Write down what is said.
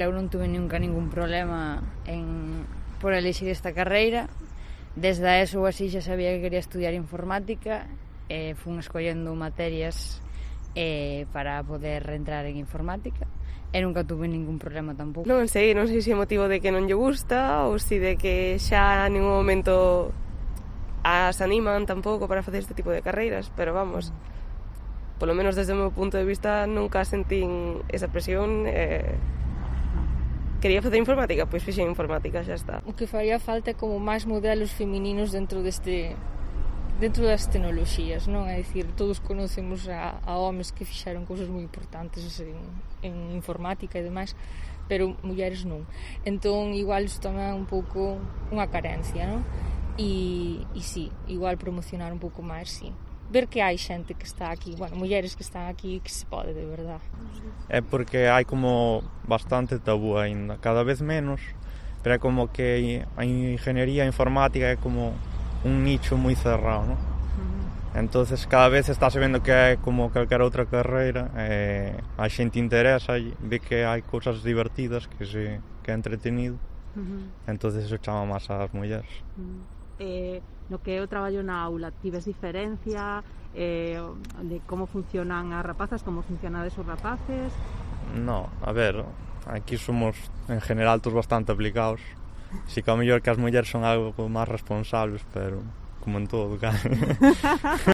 Eu non tuve nunca ningún problema por elixir esta carreira. Desde a ESO así xa sabía que quería estudiar informática e fun escollendo materias para poder reentrar en informática e nunca tuve ningún problema tampouco. Non sei se é motivo de que non lle gusta ou se de que xa en ningún momento as animan tampouco para facer este tipo de carreiras, pero vamos, polo menos desde o meu punto de vista nunca sentín esa presión. Quería facer informática, pois fixen informática, xa está. O que faría falta é como máis modelos femininos dentro das tecnoloxías, non? É dicir, todos conocemos a homes que fixeron cousas moi importantes en informática e demais, pero mulleres non. Entón, igual isto tamén é un pouco unha carencia, non? E sí, igual promocionar un pouco máis, sí. Ver que hai xente que está aquí, mulleres que están aquí, que se pode, de verdad. É porque hai como bastante tabú aínda, cada vez menos, pero é como que a ingeniería informática é como un nicho moi cerrado, non? Entonces cada vez estáse vendo que é como calquera outra carreira, a xente interesa, ve que hai cousas divertidas, que é entretenido, entonces eso chama máis ás mulleres. No que é o traballo na aula, tives diferencia de como funcionan as rapazas, como funcionades os rapaces? No, a ver, aquí somos en general todos bastante aplicados. Si que ao mellor que as mulleres son algo máis responsables, pero como en todo, claro.